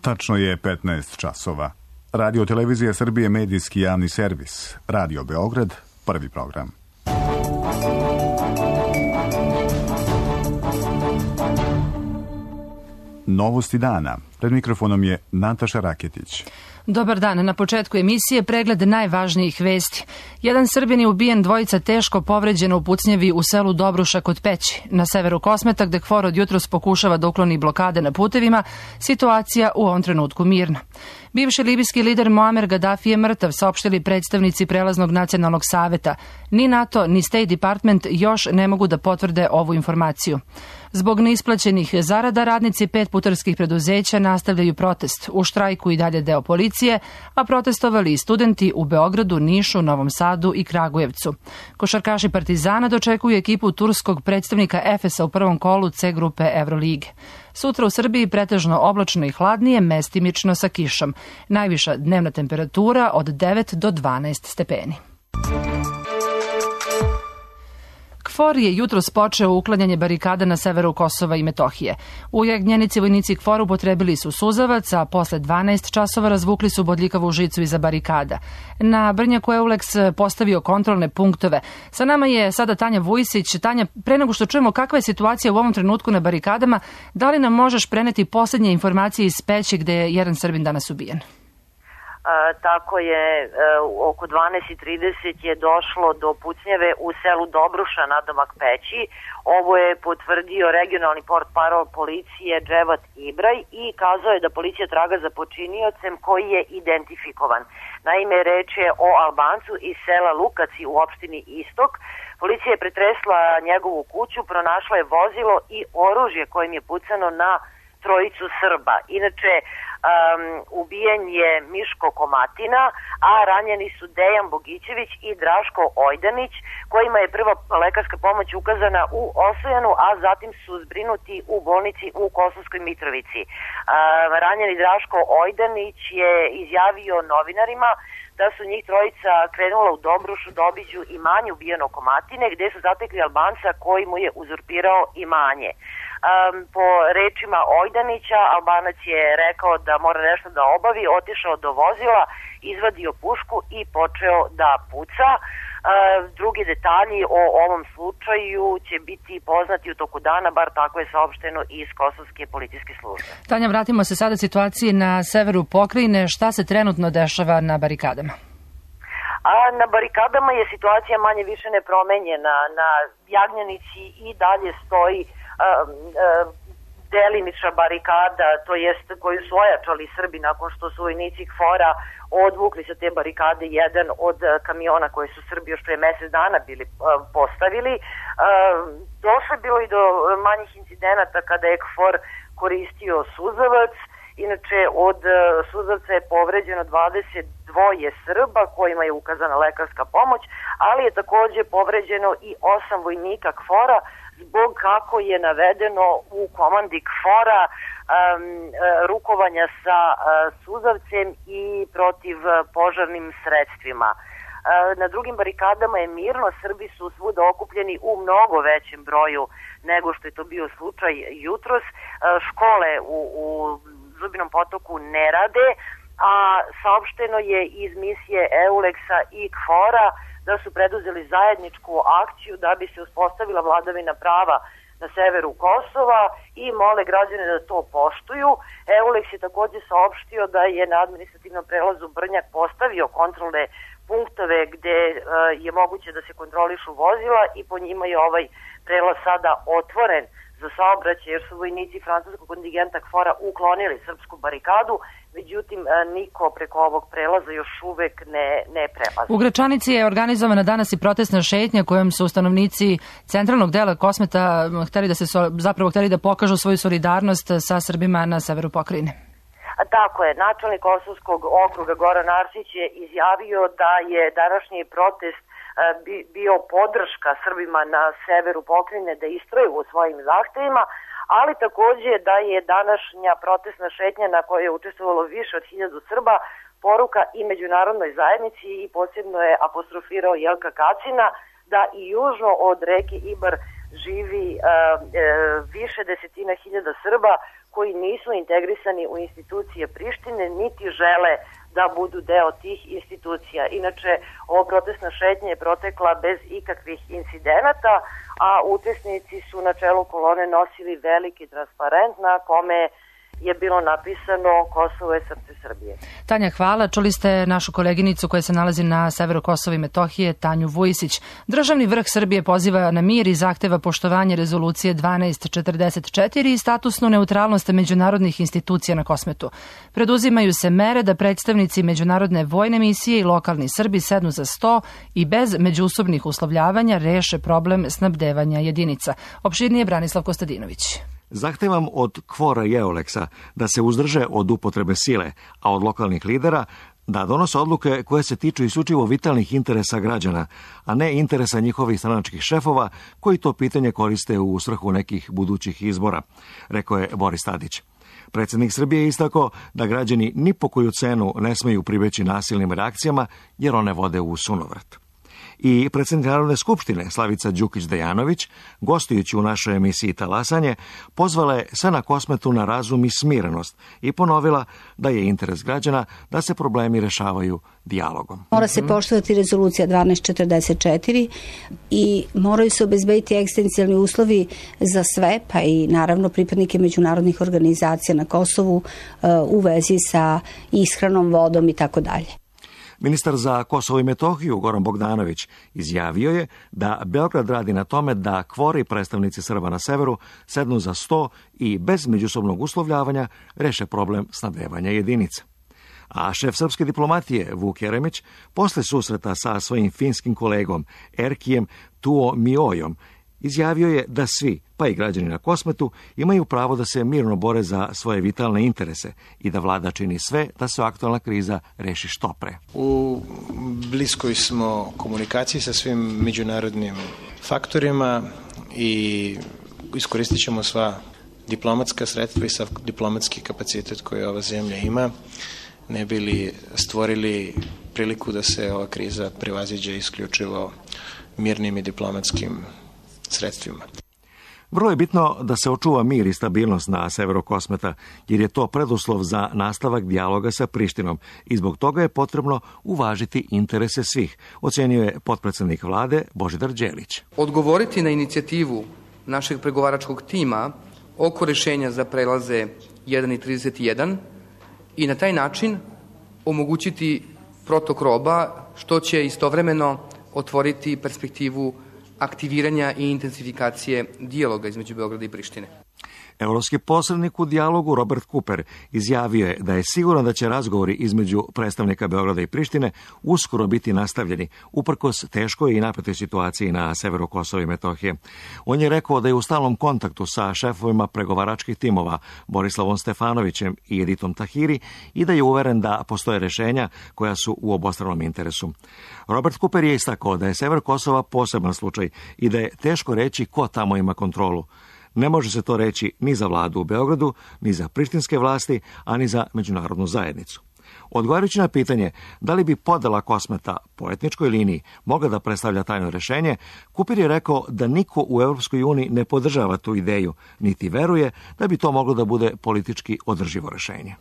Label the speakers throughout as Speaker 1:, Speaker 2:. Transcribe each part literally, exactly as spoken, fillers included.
Speaker 1: Tačno je petnaest časova. Radio Televizija Srbije, medijski javni servis. Radio Beograd, prvi program. Novosti dana. Pred mikrofonom je Nataša Raketić.
Speaker 2: Dobar dan. Na početku emisije pregled najvažnijih vesti. Jedan Srbin je ubijen, dvojica teško povređena u pucnjevi u selu Dobruša kod Peći. Na severu Kosmeta, gde KFOR od jutros pokušava da ukloni blokade na putevima, situacija u ovom trenutku mirna. Bivši libijski lider Muamer Gaddafi je mrtav, saopštili predstavnici Prelaznog nacionalnog saveta. Ni NATO, ni State Department još ne mogu da potvrde ovu informaciju. Zbog neisplaćenih zarada, radnici pet putarskih preduzeća nastavljaju protest. U štrajku i dalje deo policije, a protestovali i studenti u Beogradu, Nišu, Novom Sadu i Kragujevcu. Košarkaši Partizana dočekuju ekipu turskog predstavnika Efesa u prvom kolu C grupe Evrolige. Sutra u Srbiji pretežno oblačno i hladnije, mestimično sa kišom. Najviša dnevna temperatura od devet do dvanaest stepeni. KFOR je jutros počeo uklanjanje barikada na severu Kosova i Metohije. U Jagnjenici vojnici KFOR upotrebili su suzavac, a posle dvanaest časova razvukli su bodljikavu žicu iza barikada. Na Brnjaku Euleks postavio kontrolne punktove. Sa nama je sada Tanja Vujsić. Tanja, pre nego što čujemo kakva je situacija u ovom trenutku na barikadama, da li nam možeš preneti posljednje informacije iz Peći gde je jedan Srbin danas ubijen?
Speaker 3: A, tako je, e, oko dvanaest i trideset je došlo do pucnjeve u selu Dobruša nadomak Peći. Ovo je potvrdio regionalni portparol policije Dževat Ibraj i kazao je da policija traga za počiniocem koji je identifikovan. Naime, reč je o Albancu iz sela Lukaci u opštini Istok. Policija je pretresla njegovu kuću, pronašla je vozilo i oružje kojim je pucano na trojicu Srba. Inače, um, ubijen je Miško Komatina, a ranjeni su Dejan Bogićević i Draško Ojdanić, kojima je prva lekarska pomoć ukazana u Osojanu, a zatim su zbrinuti u bolnici u Kosovskoj Mitrovici. Um, ranjeni Draško Ojdanić je izjavio novinarima da su njih trojica krenula u Dobrušu da obiđu imanje ubijenog Komatine, gde su zatekli Albanca koji mu je uzurpirao imanje. Um, po rečima Ojdanića, Albanac je rekao da mora nešto da obavi, otišao do vozila, izvadio pušku i počeo da puca. Uh, drugi detalji o ovom slučaju će biti poznati u toku dana, bar tako je saopšteno iz Kosovske policijske službe.
Speaker 2: Tanja, vratimo se sada situaciji na severu pokrajine. Šta se trenutno dešava na barikadama?
Speaker 3: A na barikadama je situacija manje više nepromenjena. Na Jagnjanici i dalje stoji Uh, uh, delimična barikada, to jest koju su ojačali Srbi nakon što su vojnici KFOR-a odvukli sa te barikade jedan od uh, kamiona koje su Srbi još pre mesec dana bili uh, postavili. Uh, došlo je bilo i do manjih incidenata kada je KFOR koristio suzavac. Inače, od uh, suzavca je povređeno dvadeset dva Srba kojima je ukazana lekarska pomoć, ali je takođe povređeno i osam vojnika KFOR-a zbog, kako je navedeno u komandi KFOR-a, um, rukovanja sa uh, suzavcem i protiv uh, požarnim sredstvima. Uh, na drugim barikadama je mirno, Srbi su svuda okupljeni u mnogo većem broju nego što je to bio slučaj jutros. Uh, škole u, u Zubinom Potoku ne rade, a saopšteno je iz misije Euleksa i KFOR-a da su preduzeli zajedničku akciju da bi se uspostavila vladavina prava na severu Kosova i mole građane da to poštuju. Euleks je takođe saopštio da je na administrativnom prelazu Brnjak postavio kontrolne punktove gde uh, je moguće da se kontrolišu vozila i po njima je ovaj prelaz sada otvoren za saobraćaj, jer su vojnici francuskog kontingenta KFOR-a uklonili srpsku barikadu, međutim niko preko ovog prelaza još uvek ne, ne prelazi.
Speaker 2: U Gračanici je organizovana danas i protestna šetnja kojom su stanovnici centralnog dela Kosmeta hteli da se zapravo hteli da pokažu svoju solidarnost sa Srbima na severu pokrajine.
Speaker 3: A tako je, načelnik Kosovskog okruga Goran Arsić je izjavio da je današnji protest bio podrška Srbima na severu pokrajine da istraju u svojim zahtevima, ali takođe da je današnja protestna šetnja na kojoj je učestvovalo više od hiljadu Srba poruka i međunarodnoj zajednici i posebno je apostrofirao Jelka Kacina da i južno od reke Ibar živi uh, uh, više desetina hiljada Srba koji nisu integrisani u institucije Prištine, niti žele da budu deo tih institucija. Inače, ovo protestna šetnja je protekla bez ikakvih incidenata, a učesnici su na čelu kolone nosili veliki transparent na kome je bilo napisano Kosovo je srce Srbije.
Speaker 2: Tanja, hvala. Čuli ste našu koleginicu koja se nalazi na severu Kosova i Metohije, Tanju Vujisić. Državni vrh Srbije poziva na mir i zahteva poštovanje rezolucije dvanaest četrdeset četiri i statusnu neutralnost međunarodnih institucija na Kosmetu. Preduzimaju se mere da predstavnici međunarodne vojne misije i lokalni Srbi sednu za sto i bez međusobnih uslovljavanja reše problem snabdevanja jedinica. Opširnije Branislav Kostadinović.
Speaker 4: Zahtevam od Kvora i Euleksa da se uzdrže od upotrebe sile, a od lokalnih lidera da donose odluke koje se tiču isključivo vitalnih interesa građana, a ne interesa njihovih stranačkih šefova koji to pitanje koriste u svrhu nekih budućih izbora, rekao je Boris Tadić. Predsjednik Srbije je istakao da građani ni po koju cenu ne smeju pribeći nasilnim reakcijama jer one vode u sunovrat. I predsjednik Narodne skupštine Slavica Đukić-Dejanović, gostujući u našoj emisiji Talasanje, pozvala je sve na Kosmetu na razum i smirenost i ponovila da je interes građana da se problemi rešavaju dijalogom.
Speaker 5: Mora se poštovati rezolucija dvanaest četrdeset četiri i moraju se obezbediti egzistencijalni uslovi za sve, pa i naravno pripadnike međunarodnih organizacija na Kosovu u vezi sa ishranom, vodom i tako dalje.
Speaker 4: Ministar za Kosovo i Metohiju Goran Bogdanović izjavio je da Beograd radi na tome da Kvor i predstavnici Srba na severu sednu za sto i bez međusobnog uslovljavanja reše problem snabdevanja jedinica. A šef srpske diplomatije Vuk Jeremić posle susreta sa svojim finskim kolegom Erkijem Tuomiojom izjavio je da svi, pa i građani na Kosmetu, imaju pravo da se mirno bore za svoje vitalne interese i da vlada čini sve da se aktualna kriza reši što pre.
Speaker 6: U bliskoj smo komunikaciji sa svim međunarodnim faktorima i iskoristit ćemo sva diplomatska sredstva i sav diplomatski kapacitet koji ova zemlja ima, ne bi li stvorili priliku da se ova kriza prevaziđe isključivo mirnim i diplomatskim sredstvima.
Speaker 4: Vrlo je bitno da se očuva mir i stabilnost na severu Kosmeta, jer je to preduslov za nastavak dijaloga sa Prištinom i zbog toga je potrebno uvažiti interese svih, ocenio je potpredsednik vlade Božidar Đelić.
Speaker 7: Odgovoriti na inicijativu našeg pregovaračkog tima oko rešenja za prelaze jedan i trideset jedan i na taj način omogućiti protok roba, što će istovremeno otvoriti perspektivu aktiviranja i intensifikacije dijaloga između Beograda i Prištine.
Speaker 4: Evropski posrednik u dijalogu Robert Cooper izjavio je da je siguran da će razgovori između predstavnika Beograda i Prištine uskoro biti nastavljeni, uprkos teškoj i napetoj situaciji na severu Kosova i Metohije. On je rekao da je u stalnom kontaktu sa šefovima pregovaračkih timova Borislavom Stefanovićem i Editom Tahiri i da je uveren da postoje rešenja koja su u obostranom interesu. Robert Cooper je istakao da je sever Kosova poseban slučaj i da je teško reći ko tamo ima kontrolu. Ne može se to reći ni za vladu u Beogradu, ni za prištinske vlasti, a ni za međunarodnu zajednicu. Odgovarajući na pitanje da li bi podela Kosmeta po etničkoj liniji mogla da predstavlja tajno rešenje, Cooper je rekao da niko u Evropskoj uniji ne podržava tu ideju, niti veruje da bi to moglo da bude politički održivo rešenje.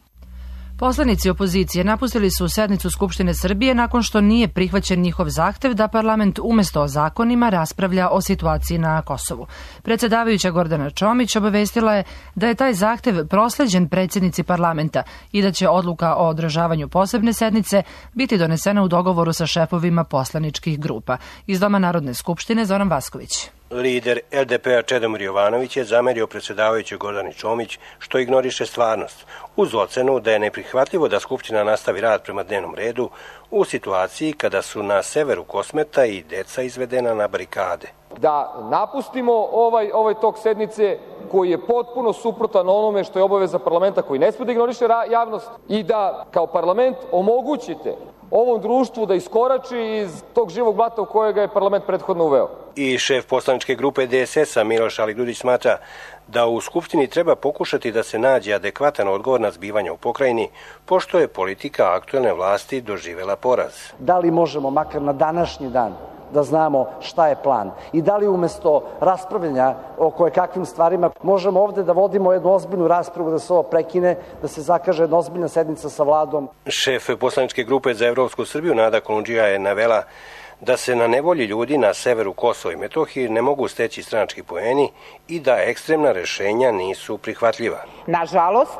Speaker 2: Poslanici opozicije napustili su sednicu Skupštine Srbije nakon što nije prihvaćen njihov zahtev da parlament umesto o zakonima raspravlja o situaciji na Kosovu. Predsjedavajuća Gordana Čomić obavestila je da je taj zahtev prosleđen predsjednici parlamenta i da će odluka o održavanju posebne sednice biti donesena u dogovoru sa šefovima poslaničkih grupa. Iz Doma Narodne skupštine Zoran Vasković.
Speaker 8: Lider L D P-a Čedomir Jovanović je zamerio predsjedavajućoj Gordani Čomić što ignoriše stvarnost, uz ocenu da je neprihvatljivo da Skupština nastavi rad prema dnevnom redu u situaciji kada su na severu Kosmeta i deca izvedena na barikade.
Speaker 9: Da napustimo ovaj, ovaj tok sednice koji je potpuno suprotan onome što je obaveza parlamenta, koji ne sme da ignoriše javnost, i da kao parlament omogućite ovom društvu da iskorači iz tog živog blata u kojega je parlament prethodno uveo.
Speaker 8: I šef poslaničke grupe D S S-a Miloš Aligrudić smatra da u Skupštini treba pokušati da se nađe adekvatan odgovor na zbivanja u pokrajini, pošto je politika aktuelne vlasti doživela poraz.
Speaker 10: Da li možemo makar na današnji dan da znamo šta je plan. I da li umesto raspravljanja o kojekakvim stvarima možemo ovde da vodimo jednu ozbiljnu raspravu, da se ovo prekine, da se zakaže jedna ozbiljna sednica sa vladom.
Speaker 8: Šef poslaničke grupe za Evropsku Srbiju Nada Kolundžija je navela da se na nevolji ljudi na severu Kosova i Metohije ne mogu steći stranački poeni i da ekstremna rešenja nisu prihvatljiva.
Speaker 11: Nažalost,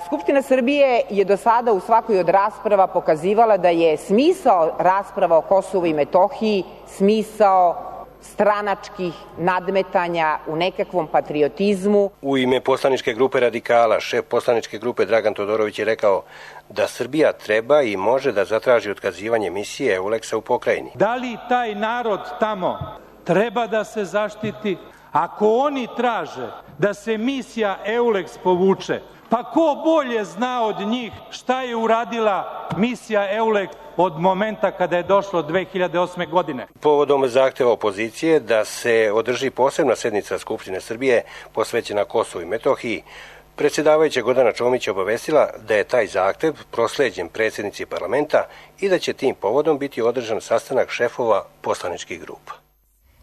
Speaker 11: Skupština Srbije je do sada u svakoj od rasprava pokazivala da je smisao rasprava o Kosovu i Metohiji smisao stranačkih nadmetanja u nekakvom patriotizmu.
Speaker 8: U ime poslaničke grupe Radikala, šef poslaničke grupe Dragan Todorović je rekao da Srbija treba i može da zatraži otkazivanje misije Euleksa u pokrajini.
Speaker 12: Da li taj narod tamo treba da se zaštiti? Ako oni traže da se misija Euleks povuče, pa ko bolje zna od njih šta je uradila misija Euleks od momenta kada je došlo dve hiljade osme. godine.
Speaker 8: Povodom zahteva opozicije da se održi posebna sednica Skupštine Srbije posvećena Kosovu i Metohiji, predsjedavajuća Gordana Čomić obavestila da je taj zahtev prosleđen predsjednici parlamenta i da će tim povodom biti održan sastanak šefova poslaničkih grupa.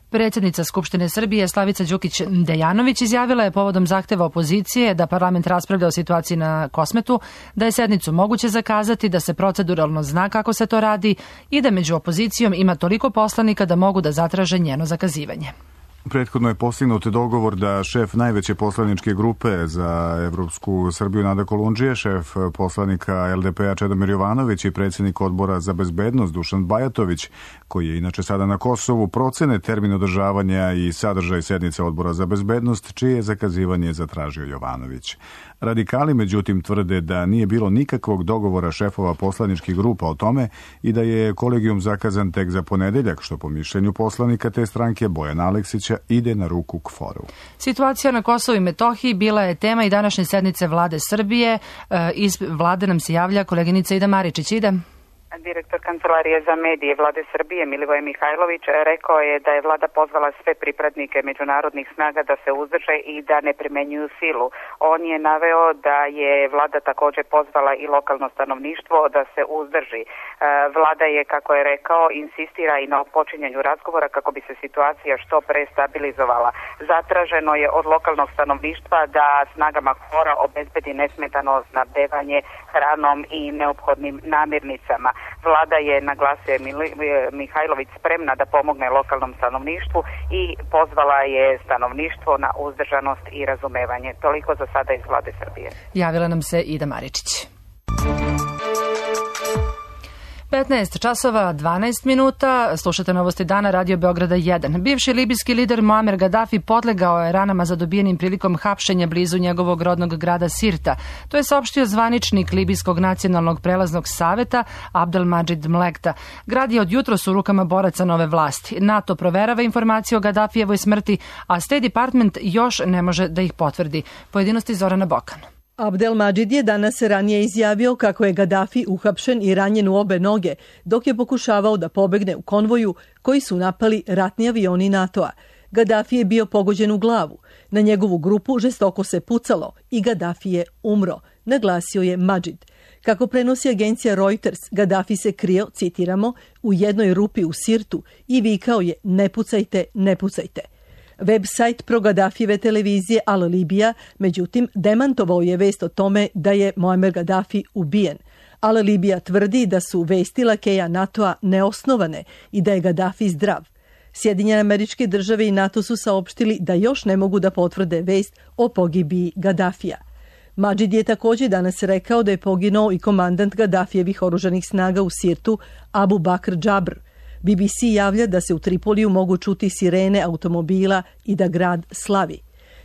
Speaker 2: Predsjednica Skupštine Srbije Slavica Đukić-Dejanović izjavila je povodom zahteva opozicije da parlament raspravlja o situaciji na Kosmetu, da je sednicu moguće zakazati, da se proceduralno zna kako se to radi i da među opozicijom ima toliko poslanika da mogu da zatraže njeno zakazivanje.
Speaker 1: Prethodno je postignut dogovor da šef najveće poslaničke grupe za Evropsku Srbiju Nada Kolundžija, šef poslanika el de pe-a Čedomir Jovanović i predsjednik odbora za bezbednost Dušan Bajatović, koji je inače sada na Kosovu, procene termin održavanja i sadržaj sednice odbora za bezbednost, čije je zakazivanje zatražio Jovanović. Radikali, međutim, tvrde da nije bilo nikakvog dogovora šefova poslaničkih grupa o tome i da je kolegijum zakazan tek za ponedeljak, što po mišljenju poslanika te stranke Bojana Aleksića ide na ruku K F O R-u.
Speaker 2: Situacija na Kosovu i Metohiji bila je tema i današnje sednice vlade Srbije. Iz vlade nam se javlja koleginica Ida Maričić. Ida.
Speaker 13: Direktor Kancelarije za medije vlade Srbije Milivoje Mihajlović rekao je da je vlada pozvala sve pripadnike međunarodnih snaga da se uzdrže i da ne primenjuju silu. On je naveo da je vlada također pozvala i lokalno stanovništvo da se uzdrži. Vlada je, kako je rekao, insistira i na počinjanju razgovora kako bi se situacija što pre stabilizovala. Zatraženo je od lokalnog stanovništva da snagama K F O R-a obezbedi nesmetano snabdevanje hranom i neophodnim namirnicama. Vlada je, naglasio Mihajlović, spremna da pomogne lokalnom stanovništvu i pozvala je stanovništvo na uzdržanost i razumevanje. Toliko za sada iz vlade Srbije.
Speaker 2: Javila nam se Ida Maričić. petnaest časova dvanaest minuta, slušate novosti dana Radio Beograda jedan. Bivši libijski lider Muamer Gaddafi podlegao je ranama zadobijenim prilikom hapšenja blizu njegovog rodnog grada Sirta. To je saopštio zvaničnik Libijskog nacionalnog prelaznog saveta Abdelmadžid Mlekta. Grad je od jutros u rukama boraca nove vlasti. NATO proverava informacije o Gaddafijevoj smrti, a State Department još ne može da ih potvrdi. Pojedinosti Zorana Bokan.
Speaker 14: Abdelmadžid je danas ranije izjavio kako je Gaddafi uhapšen i ranjen u obe noge, dok je pokušavao da pobegne u konvoju koji su napali ratni avioni NATO-a. Gaddafi je bio pogođen u glavu. Na njegovu grupu žestoko se pucalo i Gaddafi je umro, naglasio je Madžid. Kako prenosi agencija Reuters, Gaddafi se krio, citiramo, u jednoj rupi u Sirtu i vikao je ne pucajte, ne pucajte. Web-sajt pro-Gaddafijeve televizije Al Libija, međutim, demantovao je vest o tome da je Muamer Gaddafi ubijen. Al Libija tvrdi da su vesti lakeja NATO-a neosnovane i da je Gaddafi zdrav. Sjedinjene Američke Države i NATO su saopštili da još ne mogu da potvrde vest o pogibiji Gaddafija. Madžid je također danas rekao da je poginuo i komandant Gaddafijevih oružanih snaga u Sirtu Abu Bakr Džabr. B B C javlja da se u Tripoliju mogu čuti sirene automobila i da grad slavi.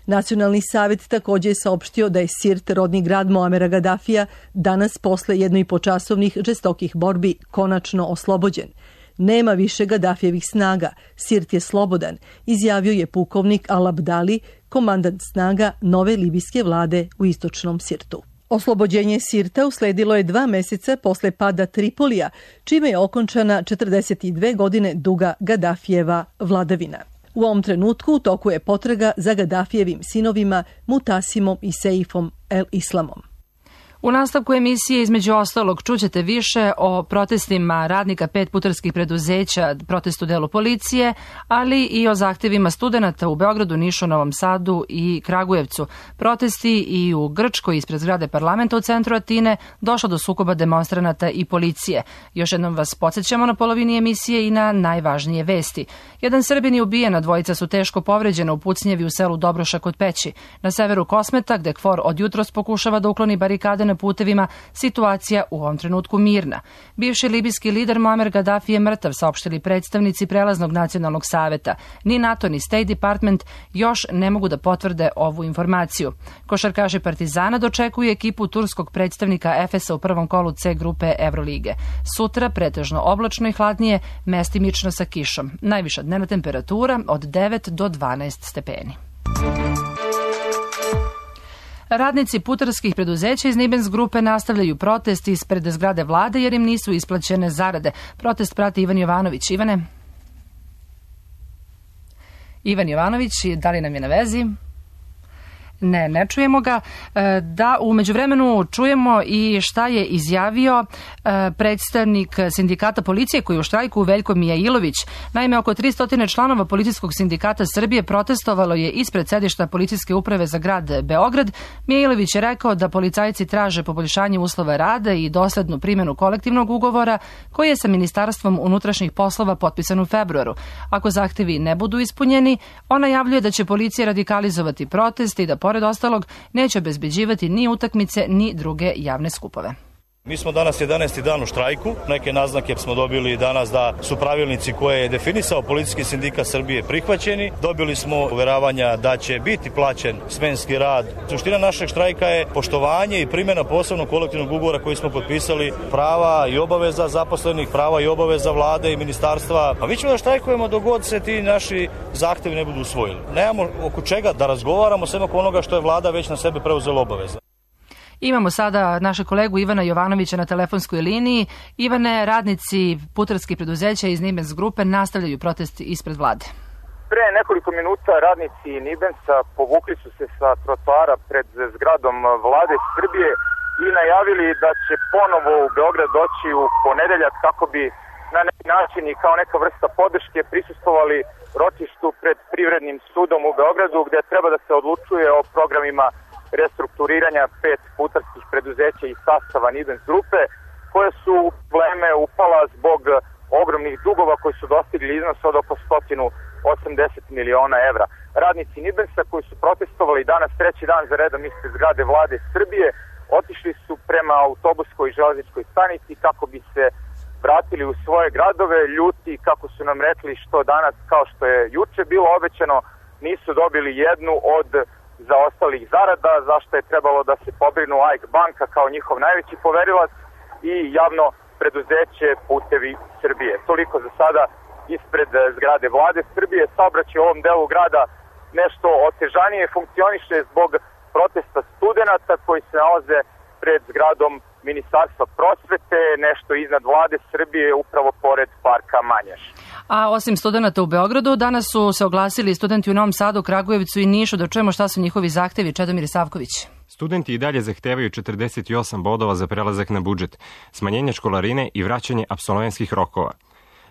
Speaker 14: Nacionalni savjet također je saopštio da je Sirt, rodni grad Muamera Gaddafija, danas posle jednoipočasovnih žestokih borbi konačno oslobođen. Nema više Gaddafijevih snaga, Sirt je slobodan, izjavio je pukovnik Al-Abdali, komandant snaga nove libijske vlade u istočnom Sirtu. Oslobođenje Sirta usledilo je dva meseca posle pada Tripolija, čime je okončana četrdeset dve godine duga Gaddafijeva vladavina. U ovom trenutku u toku je potraga za Gaddafijevim sinovima Mutasimom i Seifom el-Islamom.
Speaker 2: U nastavku emisije između ostalog čućete više o protestima radnika pet putarskih preduzeća, protestu delu policije, ali i o zahtevima studenata u Beogradu, Nišu, Novom Sadu i Kragujevcu. Protesti i u Grčkoj ispred zgrade parlamenta u centru Atine došlo do sukoba demonstranata i policije. Još jednom vas podsjećamo na polovini emisije i na najvažnije vesti. Jedan Srbin je ubijen, a dvojica su teško povređena u pucnjevi u selu Dobroša kod Peći. Na severu Kosmeta, gde KFOR od jutros pokušava da ukloni barikade na putevima, situacija u ovom trenutku mirna. Bivši libijski lider Muamer Gaddafi je mrtav, saopštili predstavnici Prelaznog nacionalnog saveta. Ni NATO ni State Department još ne mogu da potvrde ovu informaciju. Košarkaši Partizana dočekuju ekipu turskog predstavnika Efesa u prvom kolu C grupe Evrolige. Sutra pretežno oblačno i hladnije, mestimično sa kišom. Najviša dnevna temperatura od devet do dvanaest stepeni. Radnici putarskih preduzeća iz Nibens grupe nastavljaju protest ispred zgrade vlade jer im nisu isplaćene zarade. Protest prati Ivan Jovanović. Ivane? Ivan Jovanović, da li nam je na vezi? Ne, ne čujemo ga. Da, u međuvremenu čujemo i šta je izjavio predstavnik sindikata policije koji je u štrajku, Veljko Mijailović. Naime, oko tristo članova Policijskog sindikata Srbije protestovalo je ispred sedišta Policijske uprave za grad Beograd. Mijailović je rekao da policajci traže poboljšanje uslova rada i doslednu primjenu kolektivnog ugovora koji je sa Ministarstvom unutrašnjih poslova potpisan u februaru. Ako zahtevi ne budu ispunjeni, on najavljuje da će policija radikalizovati protest i da pored ostalog neće obezbeđivati ni utakmice ni druge javne skupove.
Speaker 15: Mi smo danas jedanaesti dan u štrajku. Neke naznake smo dobili danas da su pravilnici koje je definisao Policijski sindikat Srbije prihvaćeni. Dobili smo uveravanja da će biti plaćen smenski rad. Suština našeg štrajka je poštovanje i primjena posebnog kolektivnog ugovora koji smo potpisali, prava i obaveza zaposlenih, prava i obaveza vlade i ministarstva. A mi ćemo da štrajkujemo dok god se ti naši zahtevi ne budu usvojili. Nemamo oko čega da razgovaramo, sem oko onoga što je vlada već na sebe preuzela obaveza.
Speaker 2: Imamo sada našeg kolegu Ivana Jovanovića na telefonskoj liniji. Ivane, radnici putarskih preduzeća iz Nibens grupe nastavljaju protest ispred vlade.
Speaker 16: Pre nekoliko minuta radnici Nibensa povukli su se sa trotoara pred zgradom vlade Srbije i najavili da će ponovo u Beograd doći u ponedeljak kako bi na neki način i kao neka vrsta podrške prisustvovali ročištu pred Privrednim sudom u Beogradu, gde treba da se odlučuje o programima restrukturiranja pet putarskih preduzeća iz sastava Nibens grupe, koje su u probleme upala zbog ogromnih dugova koji su dostigli iznos od oko sto osamdeset miliona evra. Radnici Nibensa koji su protestovali danas treći dan za redom ispred zgrade vlade Srbije otišli su prema autobuskoj i železničkoj stanici kako bi se vratili u svoje gradove, ljuti, kako su nam rekli, što danas, kao što je juče bilo obećano, nisu dobili jednu od zaostalih zarada, zašto je trebalo da se pobrinu A I K banka kao njihov najveći poverilac i javno preduzeće Putevi Srbije. Toliko za sada ispred zgrade vlade Srbije. Saobraćaj u ovom delu grada nešto otežanije funkcioniše zbog protesta studenata koji se nalaze pred zgradom Ministarstva prosvete, nešto iznad vlade Srbije, upravo pored parka Manjaš.
Speaker 2: A osim studenata u Beogradu, danas su se oglasili studenti u Novom Sadu, Kragujevcu i Nišu. Da čujemo šta su njihovi zahtevi. Čedomir Savković.
Speaker 17: Studenti i dalje zahtevaju četrdeset osam bodova za prelazak na budžet, smanjenje školarine i vraćanje apsolventskih rokova.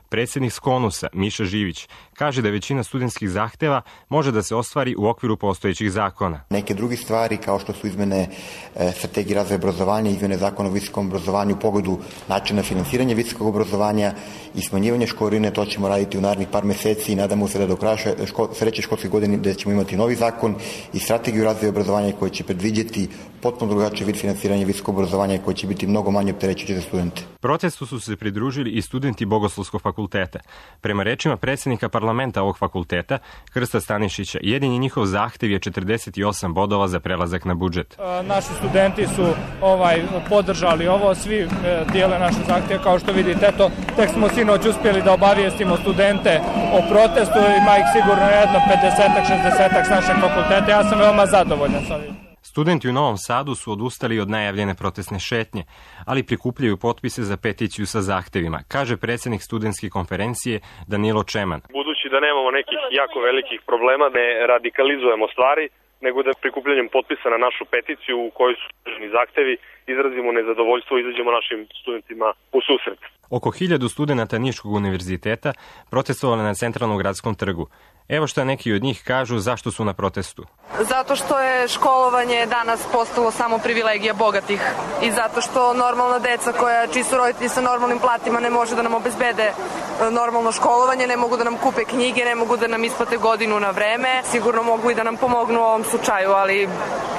Speaker 17: Predsjednik Skonusa, Miša Živić, kaže da većina studentskih zahteva može da se ostvari u okviru postojećih zakona.
Speaker 18: Neke druge stvari, kao što su izmene e, strategije razvoja obrazovanja, izmene zakona o visokom obrazovanju u pogledu načina finansiranja visokog obrazovanja i smanjivanje školarine, to ćemo raditi u narednih par meseci i nadamo se da do kraja ško, sledeće školske godine da ćemo imati novi zakon i strategiju razvoja obrazovanja koji će predviđeti potpuno drugačiji vid finansiranja visokog obrazovanja koji će biti mnogo manje opterećujući za studente.
Speaker 17: Protestu su se pridružili i studenti Bogoslovskog fakulteta. Prema rečima predsjednika parlamenta ovog fakulteta, Krsta Stanišića, jedini njihov zahtev je četrdeset osam bodova za prelazak na budžet.
Speaker 19: Naši studenti su ovaj podržali ovo, svi e, dijele naše zahtjeve, kao što vidite, eto, tek smo sinoć uspjeli da obavijestimo studente o protestu, ima ih sigurno jedno pedesetak, šezdesetak s našeg fakulteta, ja sam veoma zadovoljan sa ovim.
Speaker 17: Studenti u Novom Sadu su odustali od najavljene protestne šetnje, ali prikupljaju potpise za peticiju sa zahtevima, kaže predsjednik studentske konferencije Danilo Čeman.
Speaker 20: Budući da nemamo nekih jako velikih problema, ne radikalizujemo stvari, nego da prikupljanjem potpisa na našu peticiju u kojoj su sadržani zahtevi izrazimo nezadovoljstvo i izađemo našim studentima u susret.
Speaker 17: Oko hiljadu studenata Niškog univerziteta protestovali na centralnom gradskom trgu. Evo što neki od njih kažu zašto su na protestu.
Speaker 21: Zato što je školovanje danas postalo samo privilegija bogatih i zato što normalna deca koja čiji su roditelji sa normalnim platima ne može da nam obezbede normalno školovanje, ne mogu da nam kupe knjige, ne mogu da nam isplate godinu na vreme. Sigurno mogu i da nam pomognu u ovom slučaju, ali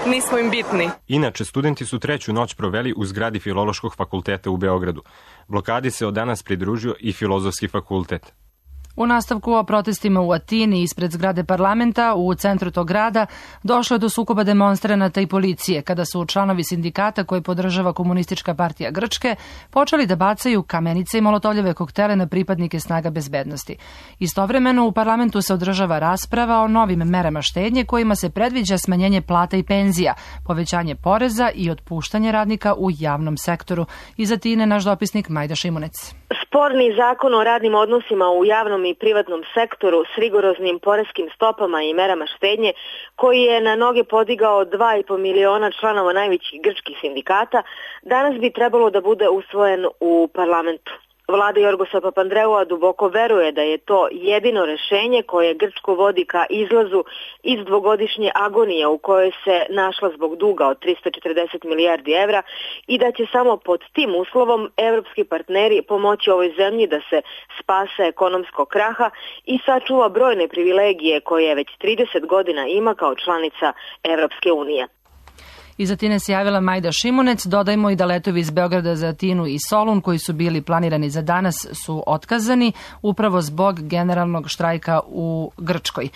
Speaker 21: nismo im bitni.
Speaker 17: Inače, studenti su treću noć proveli u zgradi Filološkog fakulteta u Beogradu. Blokadi se od danas pridružio i Filozofski fakultet.
Speaker 2: U nastavku o protestima u Atini ispred zgrade parlamenta u centru tog grada došlo je do sukoba demonstranata i policije kada su članovi sindikata koji podržava Komunistička partija Grčke počeli da bacaju kamenice i molotovljeve koktele na pripadnike snaga bezbednosti. Istovremeno u parlamentu se održava rasprava o novim merama štednje kojima se predviđa smanjenje plata i penzija, povećanje poreza i otpuštanje radnika u javnom sektoru. Iz Atine naš dopisnik Majda Šimunec.
Speaker 22: Sporni zakon o radnim odnosima u javnom i privatnom sektoru s rigoroznim poreskim stopama i merama štednje, koji je na noge podigao dva i po miliona članova najvećih grčkih sindikata, danas bi trebalo da bude usvojen u parlamentu. Vlada Jorgosa Papandreua duboko veruje da je to jedino rešenje koje Grčku vodi ka izlazu iz dvogodišnje agonije u kojoj se našla zbog duga od trista četrdeset milijardi evra i da će samo pod tim uslovom evropski partneri pomoći ovoj zemlji da se spase ekonomskog kraha i sačuva brojne privilegije koje već trideset godina ima kao članica Evropske unije.
Speaker 2: Iz Atine se javila Majda Šimunec. Dodajmo i da letovi iz Beograda za Atinu i Solun koji su bili planirani za danas su otkazani upravo zbog generalnog štrajka u Grčkoj.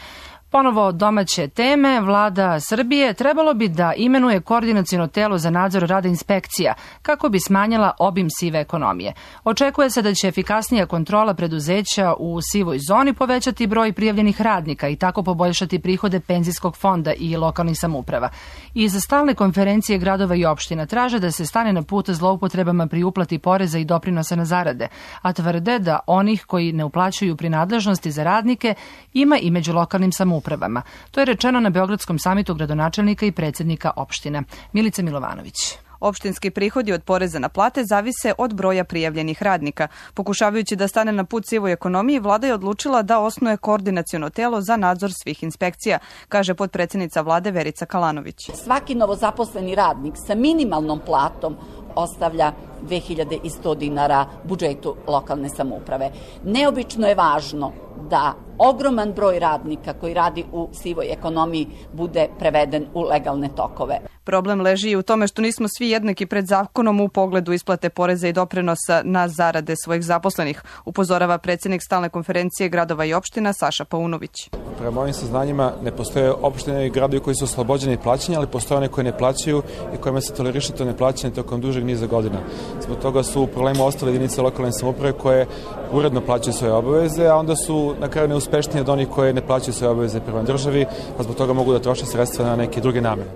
Speaker 2: Ponovo domaće teme, vlada Srbije trebalo bi da imenuje koordinaciono telo za nadzor rada inspekcija kako bi smanjila obim sive ekonomije. Očekuje se da će efikasnija kontrola preduzeća u sivoj zoni povećati broj prijavljenih radnika i tako poboljšati prihode penzijskog fonda i lokalnih samouprava. Iz stalne konferencije gradova i opština traže da se stane na put zloupotrebama pri uplati poreza i doprinosa na zarade, a tvrde da onih koji ne uplaćuju prinadležnosti za radnike ima i među lokalnim samoupravama. Upravama. To je rečeno na Beogradskom samitu gradonačelnika i predsjednika opština. Milica Milovanović.
Speaker 23: Opštinski prihodi od poreza na plate zavise od broja prijavljenih radnika. Pokušavajući da stane na put sivoj ekonomiji, vlada je odlučila da osnuje koordinaciono telo za nadzor svih inspekcija, kaže potpredsjednica vlade Verica Kalanović.
Speaker 24: Svaki novozaposleni radnik sa minimalnom platom ostavlja dve hiljade sto dinara budžetu lokalne samouprave. Neobično je važno da ogroman broj radnika koji radi u sivoj ekonomiji bude preveden u legalne tokove.
Speaker 23: Problem leži i u tome što nismo svi jednaki pred zakonom u pogledu isplate poreza i doprinosa na zarade svojih zaposlenih, upozorava predsjednik stalne konferencije gradova i opština Saša Paunović.
Speaker 25: Prema mojim saznanjima ne postoje opštine i gradovi koji su oslobođeni plaćanja, ali postoje one koje ne plaćaju i kojima se toleriše to neplaćanje tokom dužeg niza godina. Zbog toga su u problemu ostale jedinice lokalne samouprave koje uredno plaćaju svoje obaveze, a onda su na kraju neuspešnije od onih koje ne plaćaju svoje obaveze prema državi, a zbog toga mogu da troše sredstva na neke druge namene.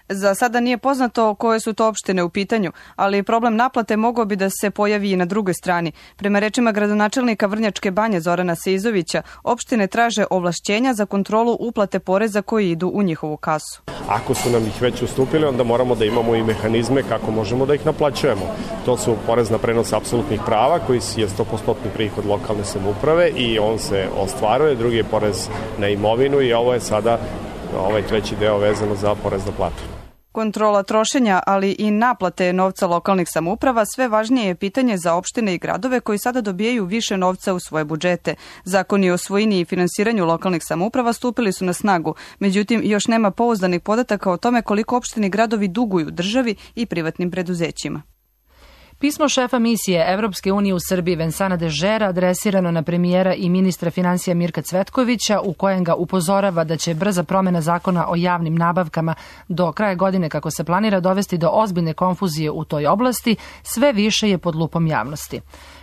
Speaker 23: Za sada nije poznato koje su to opštine u pitanju, ali problem naplate mogao bi da se pojavi i na drugoj strani. Prema rečima gradonačelnika Vrnjačke Banje Zorana Seizovića, opštine traže ovlašćenja za kontrolu uplate poreza koji idu u njihovu kasu.
Speaker 26: Ako su nam ih već ustupili, onda moramo da imamo i mehanizme kako možemo da ih naplaćujemo. To su porez na prenos apsolutnih prava, koji je sto posto prihod lokalne samouprave i on se ostvaruje, drugi je porez na imovinu i ovo je sada ovaj treći deo vezano za porez na platu.
Speaker 23: Kontrola trošenja, ali i naplate novca lokalnih samouprava sve važnije je pitanje za opštine i gradove koji sada dobijaju više novca u svoje budžete. Zakoni o svojini i finansiranju lokalnih samouprava stupili su na snagu, međutim još nema pouzdanih podataka o tome koliko opštine i gradovi duguju državi i privatnim preduzećima.
Speaker 2: Pismo šefa misije Evropske unije u Srbiji Vensana Dežera adresirano na premijera i ministra financija Mirka Cvetkovića u kojem ga upozorava da će brza promjena zakona o javnim nabavkama do kraja godine kako se planira dovesti do ozbiljne konfuzije u toj oblasti, sve više je pod lupom javnosti.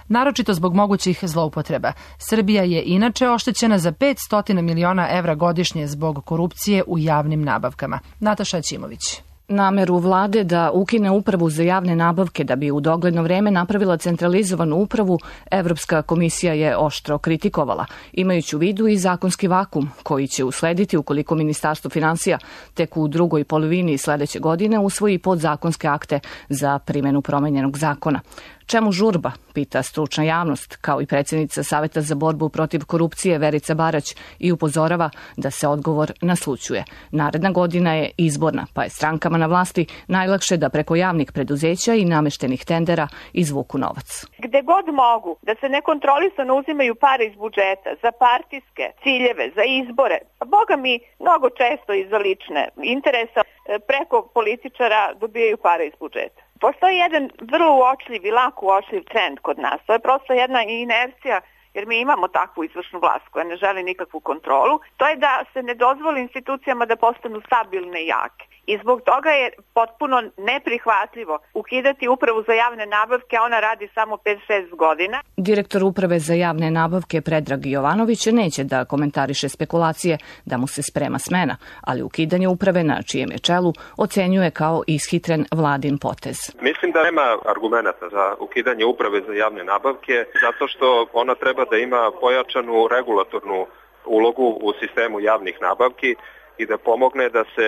Speaker 2: Naročito zbog mogućih zloupotreba. Srbija je inače oštećena za petsto miliona evra godišnje zbog korupcije u javnim nabavkama. Nataša Ćimović.
Speaker 23: Nameru vlade da ukine upravu za javne nabavke da bi u dogledno vreme napravila centralizovanu upravu, Evropska komisija je oštro kritikovala, imajući u vidu i zakonski vakum koji će uslediti ukoliko Ministarstvo finansija tek u drugoj polovini sledeće godine usvoji podzakonske akte za primjenu promenjenog zakona. Čemu žurba, pita stručna javnost, kao i predsjednica Saveta za borbu protiv korupcije Verica Barać i upozorava da se odgovor naslućuje. Naredna godina je izborna, pa je strankama na vlasti najlakše da preko javnih preduzeća i nameštenih tendera izvuku novac.
Speaker 3: Gde god mogu da se nekontrolisano uzimaju pare iz budžeta za partijske ciljeve, za izbore, a boga mi mnogo često i za lične interesa preko političara dobijaju pare iz budžeta. Postoji jedan vrlo uočljiv i lako uočljiv trend kod nas. To je prosto jedna inercija, jer mi imamo takvu izvršnu vlast koja ne želi nikakvu kontrolu. To je da se ne dozvoli institucijama da postanu stabilne i jake. I zbog toga je potpuno neprihvatljivo ukidati upravu za javne nabavke, a ona radi samo pet do šest godina.
Speaker 23: Direktor uprave za javne nabavke Predrag Jovanović neće da komentariše spekulacije da mu se sprema smena, ali ukidanje uprave na čijem je čelu ocenjuje kao ishitren vladin potez.
Speaker 4: Mislim da nema argumenata za ukidanje uprave za javne nabavke, zato što ona treba da ima pojačanu regulatornu ulogu u sistemu javnih nabavki i da pomogne da se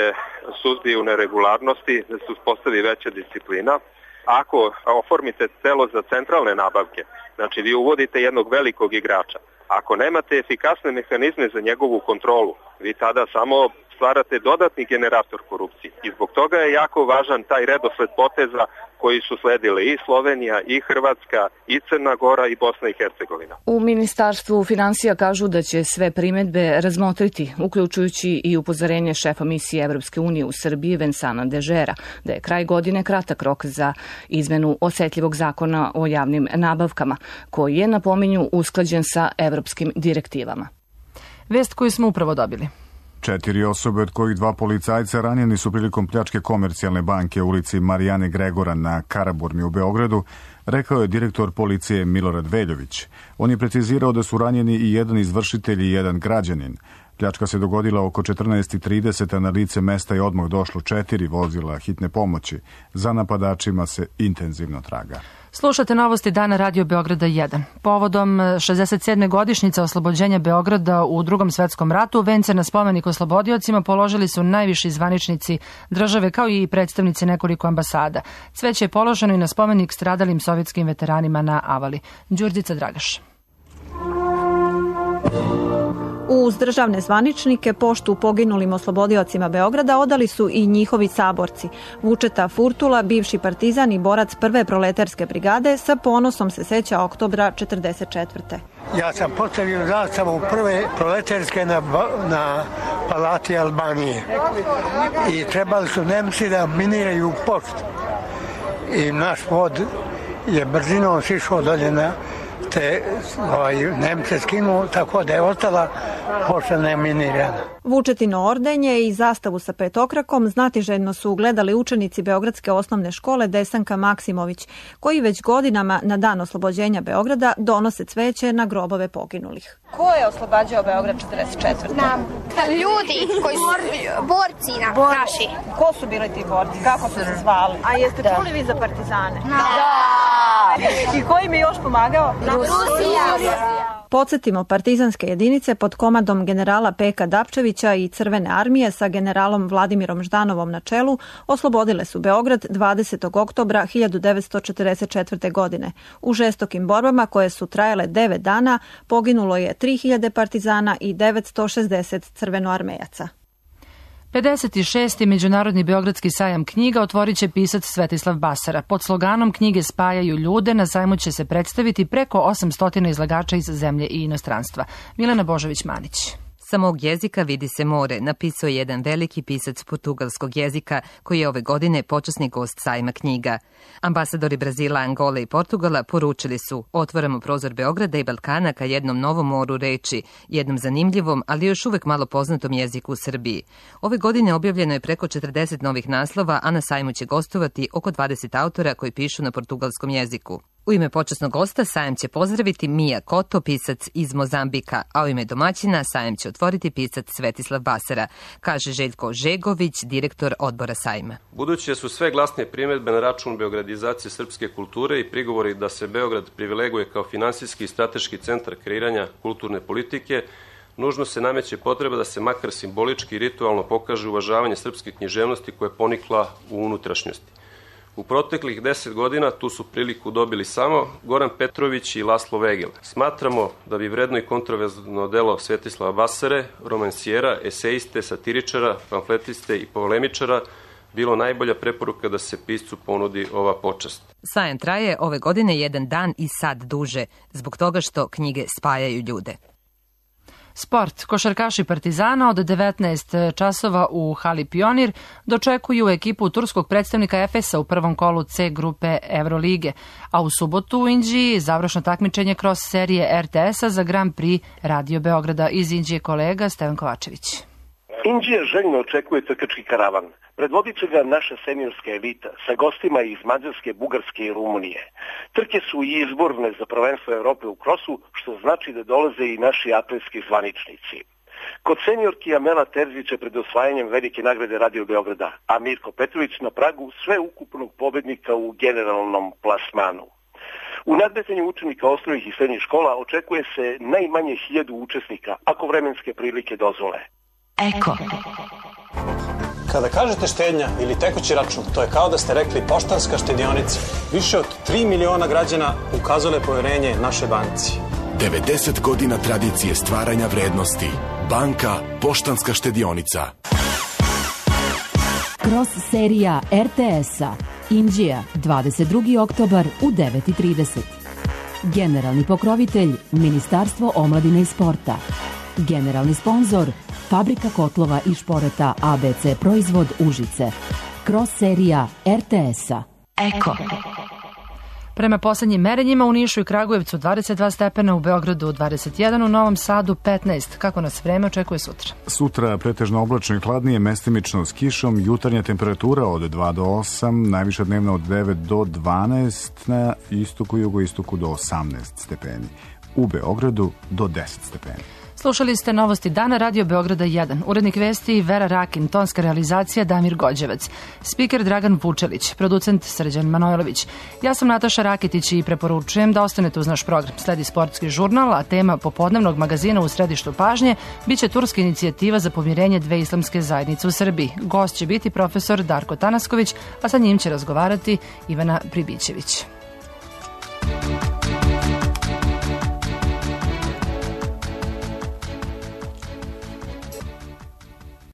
Speaker 4: suzbiju neregularnosti, da se uspostavi veća disciplina. Ako oformite telo za centralne nabavke, znači vi uvodite jednog velikog igrača, ako nemate efikasne mehanizme za njegovu kontrolu, vi tada samo stvarate dodatni generator korupcije. I zbog toga je jako važan taj redosled poteza koji su sledile i Slovenija, i Hrvatska, i Crna Gora, i Bosna i Hercegovina.
Speaker 23: U Ministarstvu finansija kažu da će sve primedbe razmotriti, uključujući i upozorenje šefa misije Evropske unije u Srbiji Vensana Dežera, da je kraj godine kratak rok za izmenu osetljivog zakona o javnim nabavkama, koji je, napominju, usklađen sa evropskim direktivama.
Speaker 2: Vest koju smo upravo dobili.
Speaker 1: Četiri osobe, od kojih dva policajca, ranjeni su prilikom pljačke Komercijalne banke u ulici Marijane Gregora na Karaburmi u Beogradu, rekao je direktor policije Milorad Veljović. On je precizirao da su ranjeni i jedan izvršitelj i jedan građanin. Pljačka se dogodila oko četrnaest i trideset, a na lice mesta je odmah došlo četiri vozila hitne pomoći. Za napadačima se intenzivno traga.
Speaker 2: Slušate novosti dana Radio Beograda jedan. Povodom šezdeset sedme godišnjice oslobođenja Beograda u Drugom svetskom ratu, vence na spomenik oslobodiocima položili su najviši zvaničnici države kao i predstavnici nekoliko ambasada. Cveće je položeno i na spomenik stradalim sovjetskim veteranima na Avali. Đurđica Dragaš.
Speaker 5: Uz državne zvaničnike poštu poginulim oslobodiocima Beograda odali su i njihovi saborci. Vučeta Furtula, bivši partizan i borac prve proletarske brigade, sa ponosom se seća oktobra četrdeset četvrte.
Speaker 6: Ja sam postavio zastavu prve proletarske na, na palati Albanije i trebali su Nemci da miniraju poštu. I naš vod je brzinom sišao dolje na te ovaj, Nemce skinuo, tako da je ostala pošta neminirana.
Speaker 5: Vučetino ordenje i zastavu sa petokrakom znatiželjno su gledali učenici Beogradske osnovne škole Desanka Maksimović, koji već godinama na dan oslobođenja Beograda donose cveće na grobove poginulih.
Speaker 7: Ko je oslobađao Beograd četrdeset četvrte?
Speaker 9: Nam. Ljudi koji su borci na
Speaker 7: Bor...
Speaker 9: naši.
Speaker 7: Ko su bili ti borci? Kako su se zvali? A jeste da. čuli vi za partizane?
Speaker 9: Da.
Speaker 7: da. I ko im je još pomagao?
Speaker 9: Rusija.
Speaker 5: Podsjetimo, partizanske jedinice pod komadom generala Peka Dapčevića i Crvene armije sa generalom Vladimirom Ždanovom na čelu oslobodile su Beograd dvadesetog oktobra hiljadu devetsto četrdeset četvrte. godine. U žestokim borbama koje su trajale devet dana poginulo je tri hiljade partizana i devetsto šezdeset crvenoarmejaca.
Speaker 2: pedeset šesti. Međunarodni beogradski sajam knjiga otvorit će pisac Svetislav Basara. Pod sloganom Knjige spajaju ljude na sajmu će se predstaviti preko osamsto izlagača iz zemlje i inostranstva. Milena Božović-Manić.
Speaker 27: Sa mog jezika vidi se more, napisao je jedan veliki pisac portugalskog jezika koji je ove godine počasni gost sajma knjiga. Ambasadori Brazila, Angole i Portugala poručili su: otvaramo prozor Beograda i Balkana ka jednom novom moru reči, jednom zanimljivom, ali još uvek malo poznatom jeziku u Srbiji. Ove godine objavljeno je preko četrdeset novih naslova, a na sajmu će gostovati oko dvadeset autora koji pišu na portugalskom jeziku. U ime počasnog gosta sajam će pozdraviti Mija Koto, pisac iz Mozambika, a u ime domaćina sajam će otvoriti pisac Svetislav Basara, kaže Željko Žegović, direktor odbora sajma.
Speaker 8: Budući su sve glasnije primjedbe na račun beogradizacije srpske kulture i prigovori da se Beograd privileguje kao finansijski i strateški centar kreiranja kulturne politike, nužno se nameće potreba da se makar simbolički i ritualno pokaže uvažavanje srpske književnosti koja je ponikla u unutrašnjosti. U proteklih deset godina tu su priliku dobili samo Goran Petrović i Laslo Vegel. Smatramo da bi vredno i kontroverzno delo Svetislava Basare, romansijera, eseiste, satiričara, pamfletiste i polemičara bilo najbolja preporuka da se piscu ponudi ova počast.
Speaker 27: Sajam traje ove godine jedan dan i sad duže, zbog toga što knjige spajaju ljude.
Speaker 2: Sport. Košarkaši Partizana od devetnaest časova u hali Pionir dočekuju ekipu turskog predstavnika Efesa u prvom kolu C grupe Evrolige, a u subotu u Inđiji završno takmičenje kroz serije R T S-a za Grand Prix Radio Beograda. Iz Inđije kolega Stevan Kovačević.
Speaker 10: Inđija željno očekuje trkački karavan. Predvodit će ga naša seniorska elita sa gostima iz Mađarske, Bugarske i Rumunije. Trke su i izborne za prvenstvo Evrope u krosu, što znači da dolaze i naši atletski zvaničnici. Kod seniorki Amela Terzić je pred osvajanjem velike nagrade Radio Beograda, a Mirko Petrović na pragu sveukupnog pobednika u generalnom plasmanu. U nadmetanju učenika osnovnih i srednjih škola očekuje se najmanje hiljadu učesnika, ako vremenske prilike dozvole.
Speaker 11: Eko. Kada kažete štednja ili tekući račun, to je kao da ste rekli Poštanska štedionica. Više od tri miliona građana ukazale poverenje našoj banci.
Speaker 12: devedeset godina tradicije stvaranja vrednosti. Banka Poštanska štedionica.
Speaker 13: Kroz serija R T S-a. Inđija, dvadeset drugi oktobar u devet i trideset. Generalni pokrovitelj Ministarstvo omladine i sporta. Generalni sponzor Fabrika kotlova i šporeta A B C Proizvod Užice. Kroz serija R T S-a. Eko.
Speaker 2: Prema poslednjim merenjima u Nišu i Kragujevcu dvadeset dva stepena, u Beogradu dvadeset jedan, u Novom Sadu petnaest. Kako nas vreme očekuje sutra?
Speaker 1: Sutra pretežno oblačno i hladnije, mestimično s kišom, jutarnja temperatura od dva do osam, najviša dnevna od devet do dvanaest, na istoku i jugoistoku do osamnaest stepeni. U Beogradu do deset stepeni.
Speaker 2: Slušali ste novosti dana Radio Beograda jedan. Urednik vesti Vera Rakin, tonska realizacija Damir Gođevac, spiker Dragan Vučelić, producent Srđan Manojlović. Ja sam Nataša Rakitić i preporučujem da ostanete uz naš program. Sledi sportski žurnal, a tema popodnevnog magazina u središtu pažnje biće turska inicijativa za pomirenje dve islamske zajednice u Srbiji. Gost će biti profesor Darko Tanasković, a sa njim će razgovarati Ivana Pribićević.